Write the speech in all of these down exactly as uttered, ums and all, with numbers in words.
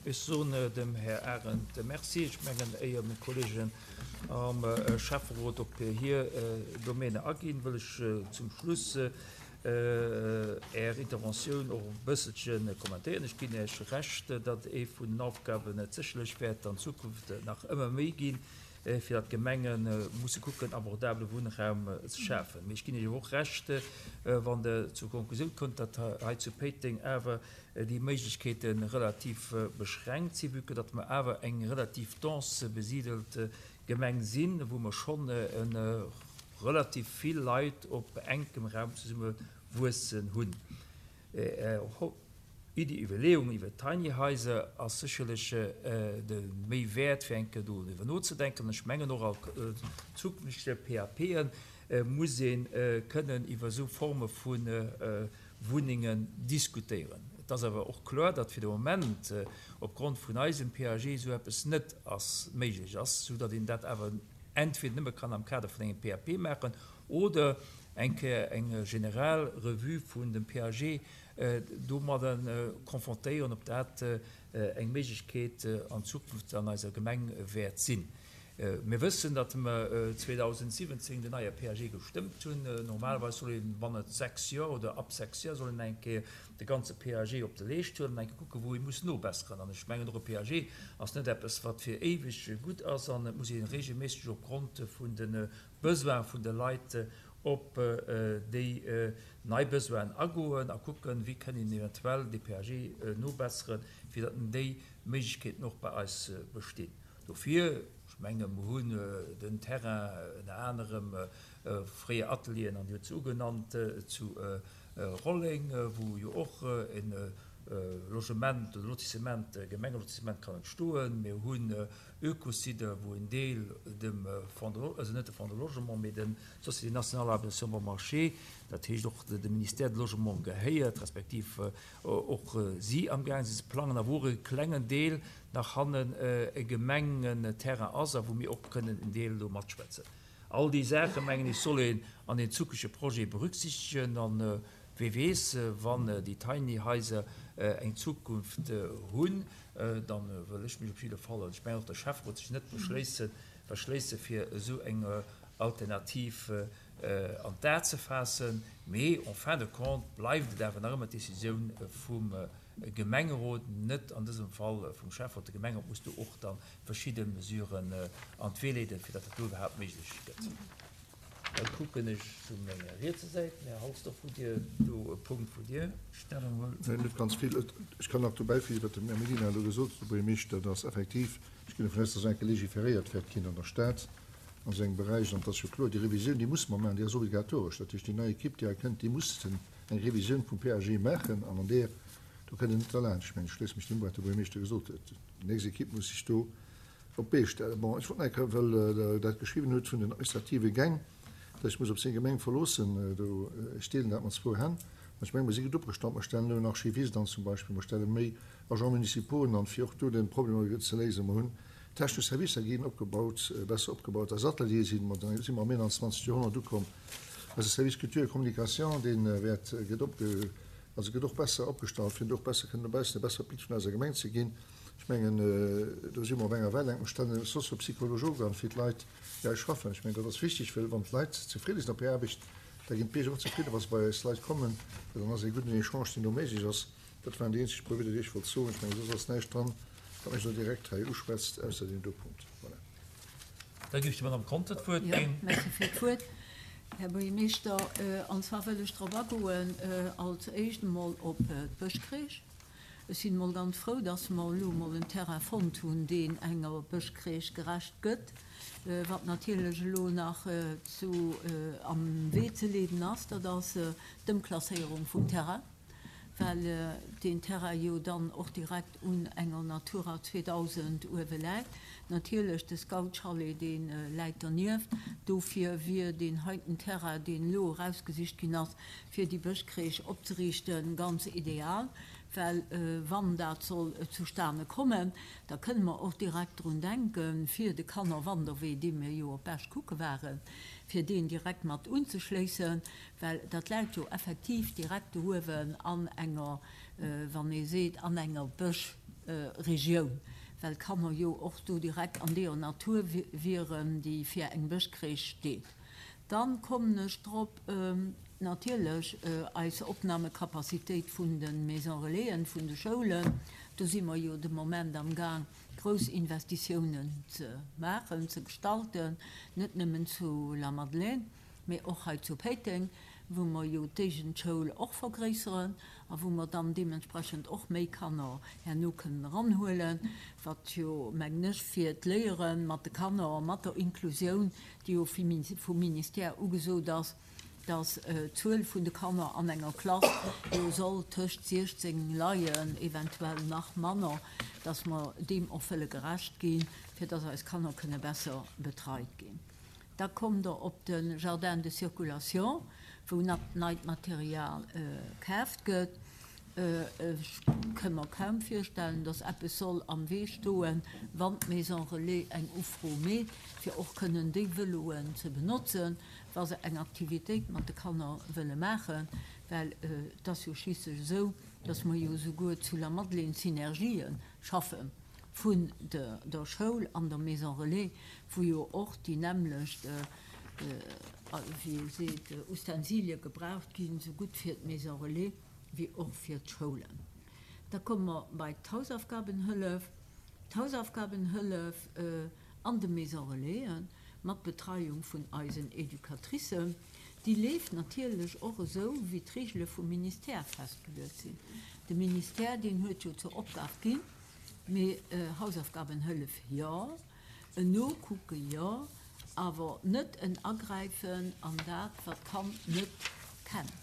Ech soen dem Här Arendt Merci. Ech mengen, éier meng Kolleegen am Schäfferot op hir Domäne aginn, wëll ech zum Schluss Är Interventioun och e bësselche kommentéieren. Ech ginn Iech Recht, datt ee vun den Aufgaben et sécherlech wäert an Zukunft nach ëmmer méi ginn, fir datt d'Gemenge musse kucken, abordabele Wunnraum ze schafen. Mee ech ginn Iech och Recht, wann Der zur Konklusioun kommt, datt hei zu Péiteng awer déi Méiglechkeete relativ beschränkt sinn, vue que datt mer awer eng relativ dense besiedelt Gemeng sinn, wou mer schonn e relativ vill Leit op enkem Raum zesumme wuessen hunn. Är Iddi, Iwwerleeung iwwer Tiny Haiser ass sécherlech de méi wäert, fir eng Kéier doriwwer nozedenken. Ech mengen och a zukünftege PAPe muss ee kënnen iwwer esou Forme vu Wunnengen diskutéieren. Et ass awer och kloer, datt fir de Moment opgrond vun eisem PAG esou eppes net ass méiglech ass, soudatt een dat awer entweder nëmme kann am Kader vun engem PAP maachen oder eng Kéier eng general Revue vun dem PAG domadder konfrontéieren, ob dat eng Méiglechkeet an Zukunft an eiser Gemeng wäert sinn. Mir wëssen, datt mer zweedausendsiwwenzéng den neie PAG gestëmmt hunn. Normalerweis soll een bannent sechs Joer oder ab sechs Joer soll een eng Kéier de ganze PAG op de Leescht huelen an eng Kéier kucken, wou ee muss nobesseren. An ech mengen, och e PAG ass net eppes, wat fir éiweg gutt ass an et muss ee regelméisseg opgrond vun de Besoine vun de Leit op déi nei Besoinen agoen a kucken, wéi kënn een eventuell de PAG nobesseren, fir datt déi Méiglechkeeten och bei eis bestinn. Dofir, ech menge mer hunn den Terrain ënner anerem fréier Atelieren an déi huet se ugenannt zu Rolleng, wou jo och e Logement oder Lotissement, Gemengelotissement kann entstoen. Mir hunn Ökosite, wou en Deel dem Fonds de, also net de Fonds de Logement, mee dem Société nationale d'habitation bon marché, dat heescht och de Ministère de Logement gehéiert, respektiv och si amgaang sinn ze plangen, a wou och e klengen Deel nach hannen e Gemengenterrain ass a wou mir och kënnen en Deel do matschwätzen. All déi Saache mengen ech soll een an den zukünftege Projet berücksichtegen an wie weess, wann déi Tiny Haiser eng Zukunft hunn, dann wëll ech mech op jidde Fall, an ech mengen och der Schäfferot, sech net beschléissen, verschléisse fir esou eng Alternativ an d'A ze faassen. Mee en fin de compte bleift et awer nach ëmmer d'Decisioun vum Gemengerot, net an dësem Fall vum Schäfferot. De Gemengerot muss do och dann verschidde Mesuren an d'Wee leeden, fir datt dat do iwwerhaapt méiglech gëtt. Da kucken ech zu menger rietser Säit. Här Halsdorf, hutt Dir do e Punkt, wou Dir Stellung huelt? Nein, net ganz vill. Ech kann nach dobäi fügen, wat den Här Mellina elo gesot huet, de Buergermeeschter, dass effektiv, ech ginn dovun aus, dass enke legiferéiert wäert ginn an der Stad an esou engem Beräich. An et ass jo kloer, déi Revisioun, déi musse mer maachen, déi ass obligatoresch. Dat heescht, déi nei Equipe, déi hei kënnt, déi muss eng Revisioun vum P A G maachen an an där, do kënnt een net derlaanscht. Ech mengen, ech schléisse mech deem u, wat de Buergermeeschter gesot huet. Déi nächst Equipe muss sech do op d'Bee stellen. Bon, ech wollt nach eng Kéier, well Der dat geschriwwen hutt vun den administrative Gäng, dass ech muss op seng Gemeng verloossen, do, ech deelen dat mat zwou Hänn. Mä ech menge mer si gutt opgestallt. Mer stellen elo en Archivist an zum Beispill, mer stelle méi Agents municipaux an, fir och do de Problem ze léisen. Mer hunn technesch Servicer ginn opgebaut, besser opgebaut. Eis Ateliere sinn, mat si mer am einundzwanzegste. Joerhonnert ukomm. Eise Service Culture et Communication, dee wäert, gëtt opge, also gëtt och besser opgestallt, fir och besser kënnen dobaussen e bessere Bild vun eiser Gemeng ze ginn. Ech mengen, do si mer op enger Wellenk. Mer stellen e Soziopsychologe an fir d'Leit, déi hei schaffen. Ech mengen, dat ass wichteg, well wann d'Leit zefridde sinn op hir Aarbecht, da ginn d'Bierger och zefridden, wa se bei eis Leit kommen. Well dann ass e gudden Echange, deen do méiglech ass. Dat waren déi eenzeg puer Wieder, déi ech wollt soen. Ech mengen, soss ass näischt dran, wat mech elo direkt hei uschwätzt, ausser deem do Punkt. Voilà. Da géif ech der Madame Conter d'Wuert Jo, ginn. merci fir d'Wuert, Här Buergermeeschter. An zwar wëll ech drop agoen, als éischt emol op d'Bëschcrèche. Ech sinn emol ganz frou, dass mer elo emol en Terrain fonnt hunn, deen enger Bëschcrèche gerecht gëtt. Wat natierlech elo nach zu am Wee ze leeden ass, dat ass d'Ëmklasséierung vum Terrain, well deen Terrain jo dann och direkt un enger Natura zweedausend uewe läit. Natierlech de Scout-Chalet, dee läit dernieft. Dofir wier deen heiten Terrain, deen elo erausgesicht ginn ass, fir déi Bëschcrèche opzeriichten, ganz ideal, well wann dat soll zustane kommen, da kënne mer och direkt drun denken, fir de Kannerwanderwee, dee mir jo op Esch kucke waren, fir deen direkt mat unzeschléissen, well dat läit jo effektiv direkt do uewen an enger, wann ee seet, an enger Bëschzon. Regioun, well d'Kanner jo och do direkt an deeër Natur wieren, déi fir eng Bëschcrèche steet. Dann kommen ech drop, natierlech eis Opnahmekapazitéit vun de Maisons Relaisen, vun de Schoulen. Do si mer jo de Moment amgaang, grouss Investitiounen ze maachen, ze gestalten, net nëmmen zu Lamadelaine, mee och hei zu Péiteng, wou mer jo d'Éigendschoul och vergréisseren a wou mer dann deementsprechend och méi Kanner herno kënnen eranhuelen, wat jo, mengen ech, fir d'Léiere mat de Kanner, mat der Inklusioun, déi jo vum Ministère ugesot ass, dass d'Zuel vun de Kanner an enger Klass jo soll tëscht siechzéng leien, eventuell nach manner, dass mer deem och wëlle gerecht ginn, fir dass eis Kanner kënne besser betreit ginn. Da kommt Der op de Jardin de circulation, wou neit Material kaaft gëtt. Ech ka mer kaum virstellen, dass eppes soll am Wee stoen, wann d'Maison Relais eng Ufro meet, fir och kënnen déi Vëloen ze benotzen, wa se eng Aktivitéit mat de Kanner wëlle maachen. Well et ass jo schliisslech esou, dass mer jo esouguer zu Lamadelaine Synergië schaffe vun der Schoul an der Maison Relais, wou jo och déi nämmlecht, wéi ee seet, Ustensilie gebraucht ginn, esougutt fir d'Maison Relais wéi och fir d'Schoulen. Da komme mer bei d'Hausaufgabenhëllef. D'Hausaufgabenhëllef an de Maisons Relaisen mat Betreiung vun eisen Educatricen, déi leeft natierlech och esou, wéi d'Regele vum Ministère festgeluet sinn. De Ministère, deen huet jo zur Opgab ginn, mee Hausaufgabenhëllef jo, en Nokucke jo, awer net en Agräifen an dat, wat d'Kand net kennt.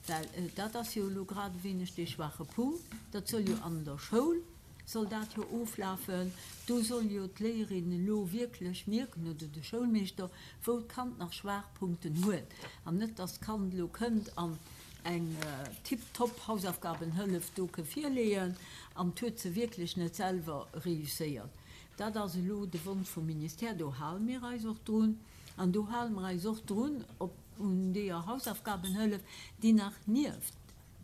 Well dat ass jo elo grad e wéineg dee schwache Punkt. Dat soll jo an der Schoul soll dat jo oflafen. Do soll jo d'Léierin elo wierklech mierken, oder de Schoulmeeschter, wou d'Kand nach Schwaachpunkten huet. An net, dass d'Kand elo kënnt an eng tiptop Hausaufgabenhëllef do ke virleeën an 't huet se wierklech net selwer reusséiert. Dat ass elo de Wonsch vum Ministère. Do hale mir eis och drun. An do hale mer eis och drun op un deeër Hausaufgabenhëllef, déi nach nieft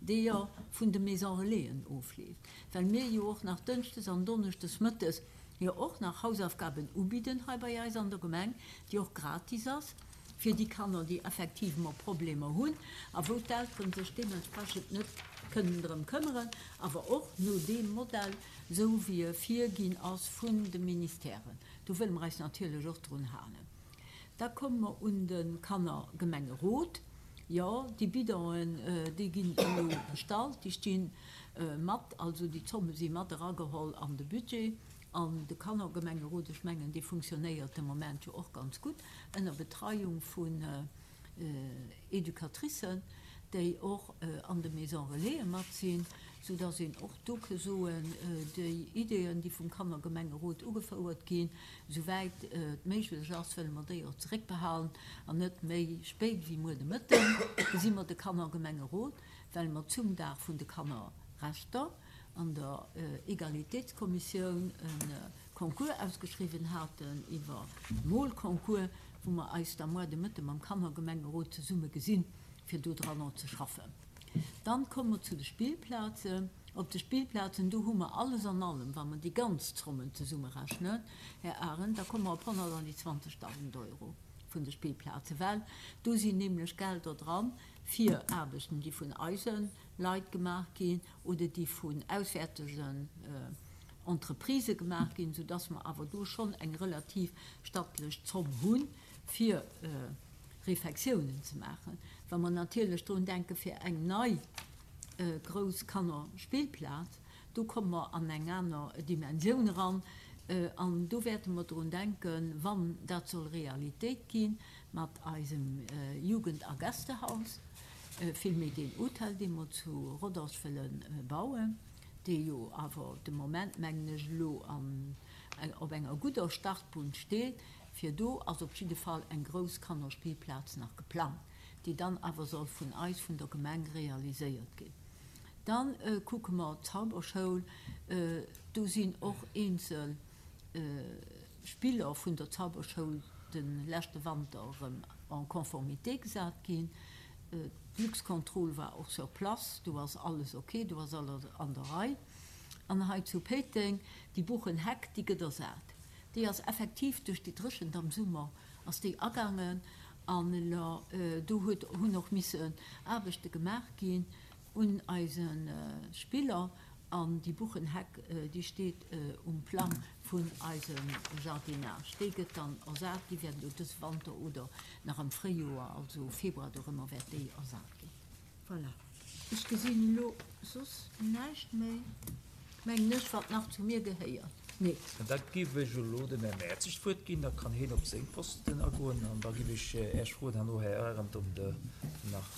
deeër vun de Maison Relaisen ofleeft, well mir jo och nach dënschdes an donneschdes mëttes jo och nach Hausaufgaben ubidden hei bei eis an der Gemeng, déi och gratis ass fir déi Kanner, déi effectivement Problemer hunn a wou d'Eltere sech deementsprechend net kënnen drëm këmmeren, awer och no deem Modell, esou wéi e virginn ass vun de Ministèren. Do wëlle mer eis natierlech och drun halen. Da komme mer un de Kannergemengerot. Jo, déi Bidonen, déi ginn elo bestallt, déi sti mat, also déi Zomme si mat erageholl an de Budget. An de Kannergemengerot, ech mengen, dee funktionéiert de Moment jo och ganz gutt ënner Betreiung vun Educatricen, déi och an de Maisons Relaisen mat sinn, soudass een och do ke soen, déi Ideeën, déi vum Kannergemengerot ugefouert ginn, souwäit et méiglech ass, wëlle mer déi och zeréckbehalen an net méi spéit wéi muer de Mëtten gesi mer de Kannergemengerot, well mer zum Dag vun de Kannerrechter an der Egalitéitskommissioun e Concours ausgeschriwwen haten iwwer Molconcours, wou mer eis da muer de Mëtte mam Kannergemengerot zesumme gesinn, fir do dranner ze schaffen. Dann komme mer zu de Spillplazen. Op de Spillplazen, do hu mer alles an allem, wa mer déi ganz Zommen zesummerechnen, Här Arendt, da komme mer op honnertanzwanzegtausend Euro vun de Spillplazen, well do sinn nämlech Gelder dran fir Aarbechten, déi vun eise Leit gemaach ginn oder déi vun auswäertegen Entreprisë gemaach ginn, soudass mer awer do schonn eng relativ stattlech Zomm hunn, fir Refektiounen ze maachen. Wa mer natierlech drun denke fir eng nei grouss Kannerspillplaz, do komme mer an eng aner Dimensioun eran. An do wäerte mer drun denken, wann dat soll Realitéit gi mat eisem Jugend a Gästehaus, villméi deen Hotel, dee mer zu Rodange wëlle bauen, dee jo awer de Moment, mengen ech, elo op enger gudder Startbunn steet. Fir do ass op jidde Fall eng grouss Kannerspillplaz nach geplangt, déi dann awer soll vun eis, vun der Gemeng, realiséiert ginn. Da kucke mer d'Zauberschoul. Do sinn och eenzel Spiller vun der Zauberschoul de leschte Wanter erëm en conformité gesat ginn. D'Luxcontrol war och sur place, do ass alles ok, do ass alles an der Rei. An hei zu Péiteng, déi Buchenheck, déi gëtt ersat. Déi ass effektiv duerch déi Dréchent am Summer ass déi agaangen an elo do huet, hunn och missen Aarbechte gemaach ginn un eise Spiller an déi Buchenheck, déi steet um Plang vun eisem Jardinage. Déi gëtt dann ersat, déi wäert elo dës Wanter oder nach am Fréijoer, also Februar dorëmmer wäert déi ersat ginn. Voilà. Ech gesinn elo soss näischt méi, mengen ech, wat nach zu mir gehéiert. Nee. An da géif ech elo dem Här Mertzig d'Wuert ginn, da kann hien op seng Posten agoen an da géif ech Äech froen herno, Här Arendt, ob Der nach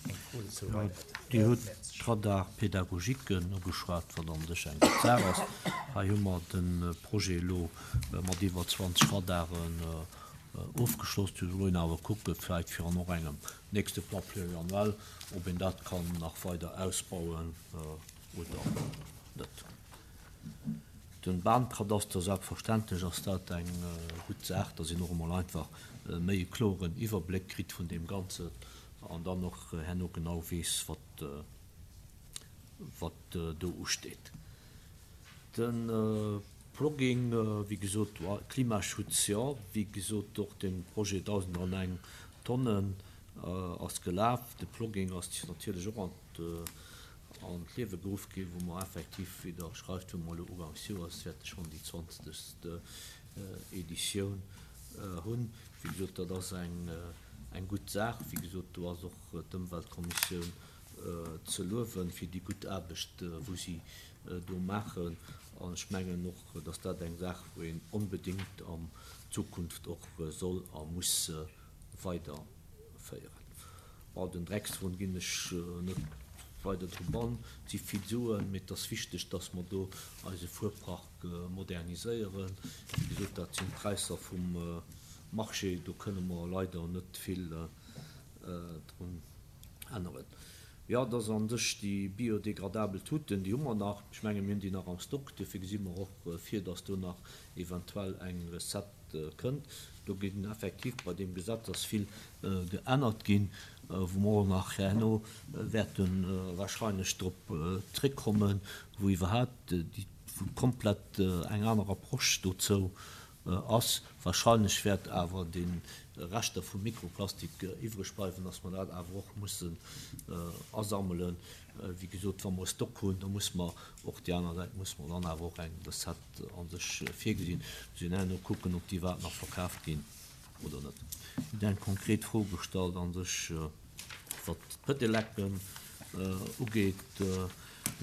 eng Fro dozou Ja, hei hätt. Dir Här hutt Mertzig. d'Radar-Pédagogiquen ugeschwat, wat an sech eng gutt Saach ass. Hei hu mer de Projet elo mat iwwer zwanzeg Radaren ofgeschloss. Do soll een awer kucken, vläicht fir an och engem nächste Plan pluriannuel, ob een dat kann nach weider ausbauen oder net. Den Bahnkadaster, selbstverständlech ass dat eng gutt Saach, dass een och emol einfach méi e kloren Iwwerbléck kritt vun deem Ganzen an dann och herno genau weess, wat, wat do usteet. Den Plogging, wéi gesot, Klimaschutz, jo, wéi gesot, och den Projet dausend an eng Tonnen ass gelaf. De Plogging ass natierlech och an an d'Liewe geruff ginn, wou mer effektiv, wéi Der schreift, wou mer elo ugangs Joers wäerte schonn déi zwanzegst Editioun hunn. Wéi gesot, dat ass eng, eng gutt Saach. Wéi gesot, do ass och d'Ëmweltkommissioun ze luewen fir déi gutt Aarbecht, wou si do maachen. An ech mengen och, dass dat eng Saach, wou een onbedéngt an Zukunft och soll a muss weiderféieren. Bon, den Dreckswon ginn ech net weider drop an. Et si vill Suen, mee et ass wichteg, dass mer do eise Fuerpark moderniséieren. Wéi gesot, dat sinn d'Präisser vum Marché, do kënne mer leider net vill drun änneren. Jo, et ass an sech déi biodegradabel Tuten, déi hu mer nach. Ech menge mir hunn déi nach am Stock, dofir gesi mer och vir, dass do nach eventuell eng Recette kënnt. Do ginn effektiv bei deem Gesetz ass vill geännert ginn, wou mer och nach herno wäerte wahrscheinlech drop zréckkommen, wou iwwerhaupt déi, wou komplett eng aner Approche dozou ass. Wahrscheinlech wäert awer de Reschter vum Mikroplastik iwwreg bleiwen, dass mer dat awer och mussen asammelen. Wéi gesot, wa mer e Stock hunn, da muss mer och déi aner Säit, muss mer dann awer och eng Recette an sech virgesinn. Muss een herno kucken, ob déi iwwerhaupt nach verkaaft ginn oder net. Dir hutt eng konkret Fro gestallt an sech, wat d'Pedelecken ugeet.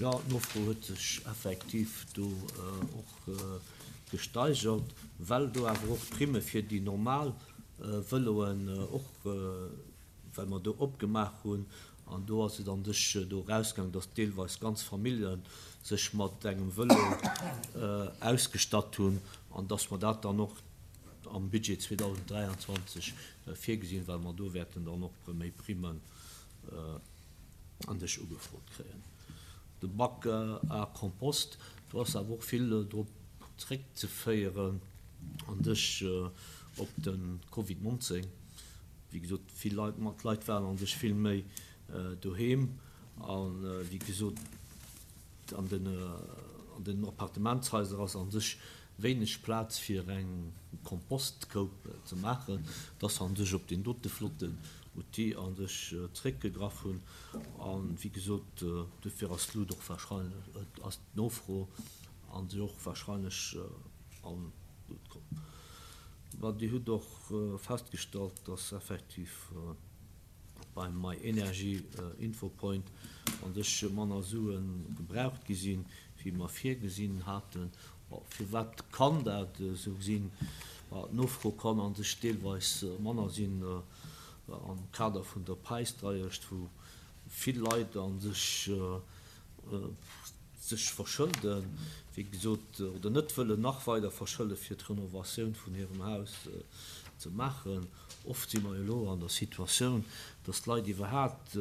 Jo, d'Nofro huet sech effektiv do och gesteigert, well do awer och d'Primme fir déi normal Vëloen och, well mer do opgemaach hunn, an do ass et an sech do erausgaangen, dass deelweis ganz Famillje sech mat engem Vëlo ausgestatt hunn an dass mer dat dann och am Budget zweedausenddräianzwanzeg virgesinn, well mer do wäerten dann och méi Primmen an sech ugefrot kréien. De Bac à compost, do ass awer och vill drop zréckzeféieren an sech op de Covid neunzéng. Wéi gesot, vill Leit, mat Leit waren an sech vill méi doheem an, wéi gesot, an den, an den Appartementshaiser ass an sech wéineg Plaz fir eng Kompostkoup ze maachen, dass an sech op den dote flotten Outil an sech zréckgegraff hunn. An, wéi gesot, dofir ass d'Lut och wahrscheinlech, ass d'Nofro an sech och wahrscheinlech an d'Lut komm. Mä Dir hutt och festgestallt, dass effektiv beim My Energy Infopoint an sech manner Sue gebraucht gi sinn, wéi mer virgesinn haten. Firwat kann dat esou sinn? D'Nofro kann an sech deelweis manner sinn am Kader vun der Präisdreiecht, wou vill Leit an sech sech verschëlden, wéi gesot, oder net wëllen nach weider verschëlde fir d'Renovatioun vun hirem Haus ze maachen. Oft si mer elo an der Situatioun, dass d'Leit iwwerhaupt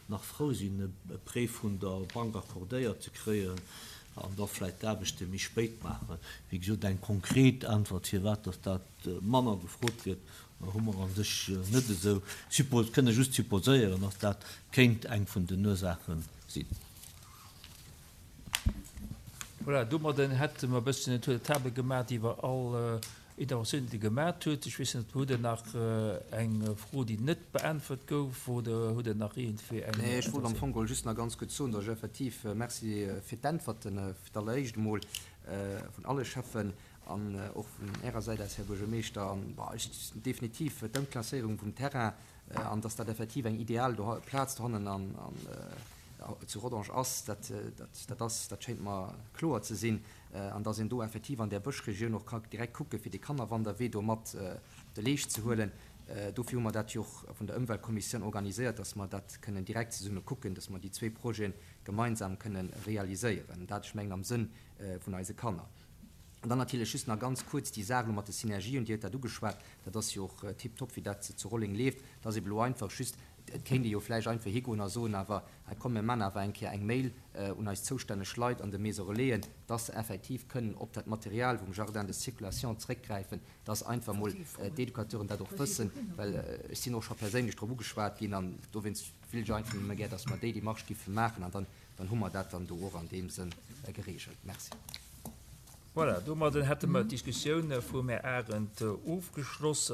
nach frou sinn, e Prêt vun der Bank accordéiert ze kréien an da vläicht d'Aarbechte méi spéit maachen. Wéi gesot, eng konkret Äntwert, firwat dass dat manner gefrot gëtt, hu mer an sech net esou suppos-, kënne just supposéieren, dass dat kéint eng vun den Ursaache sinn. Voilà, domadden hätte mer e bëssen en Tour de table gemaach iwwer all Interventiounen, déi Der gemat hutt. Ech weess net, hutt Der nach eng Fro, déi net beäntwert gouf, oder hutt Der nach iergendwéi eng Nee, ech wollt am Fong geholl just nach ganz kuerz soen, datt ech effektiv, Merci fir d'Äntwerten, fir d'alleréischt emol vun alle Schäffen an och vun Ärer Säit aus, Här Buergermeeschter. An, bon, ech definitiv d'Ëmklasséierung vum Terrain an datt dat effektiv eng ideal Plaz dohannen an zu Rodange ass, dat, dat, dat ass, dat schéint mer kloer ze sinn. An datt een do effektiv an där Bëschregioun och ka direkt kucke fir dee Kannerwanderwee do mat de Leescht ze huelen. Dofir hu mer dat jo och vun der Ëmweltkommissioun organiséiert, datt mer dat kënnen direkt zesumme kucken, datt mer déi zwee Projete gemeinsam kënnen realiséieren. Dat, ech mengen, am Sënn vun eise Kanner. An dann natierlech just nach ganz kuerz déi Saach elo mat de Synergien, Dir huet dat ugeschwat, dat ass jo och tiptop, wéi dat zu Rolleng leeft. Et ass eben elo einfach just, et kéint ee jo vläicht einfach higoen a soen, awer hei komm, mir man awer eng Kéier eng Mail un eis zoustänneg Leit an de Maisons Relaisen, dass se effektiv kënnen op dat Material vum Jardin de circulation zréckgräifen, dass einfach mol d'Educateuren dat och wëssen, well ech sinn och scho perséinlech drop ugeschwat ginn an dowéinst wéilt ech einfach nëmme gär, dass mer déi Démarche giffe maachen an dann, dann hu mer dat dann do och an deem Sënn geregelt. Merci. Voilà, domadden hätte mer d'Diskussioun vum Här Arendt ofgeschloss.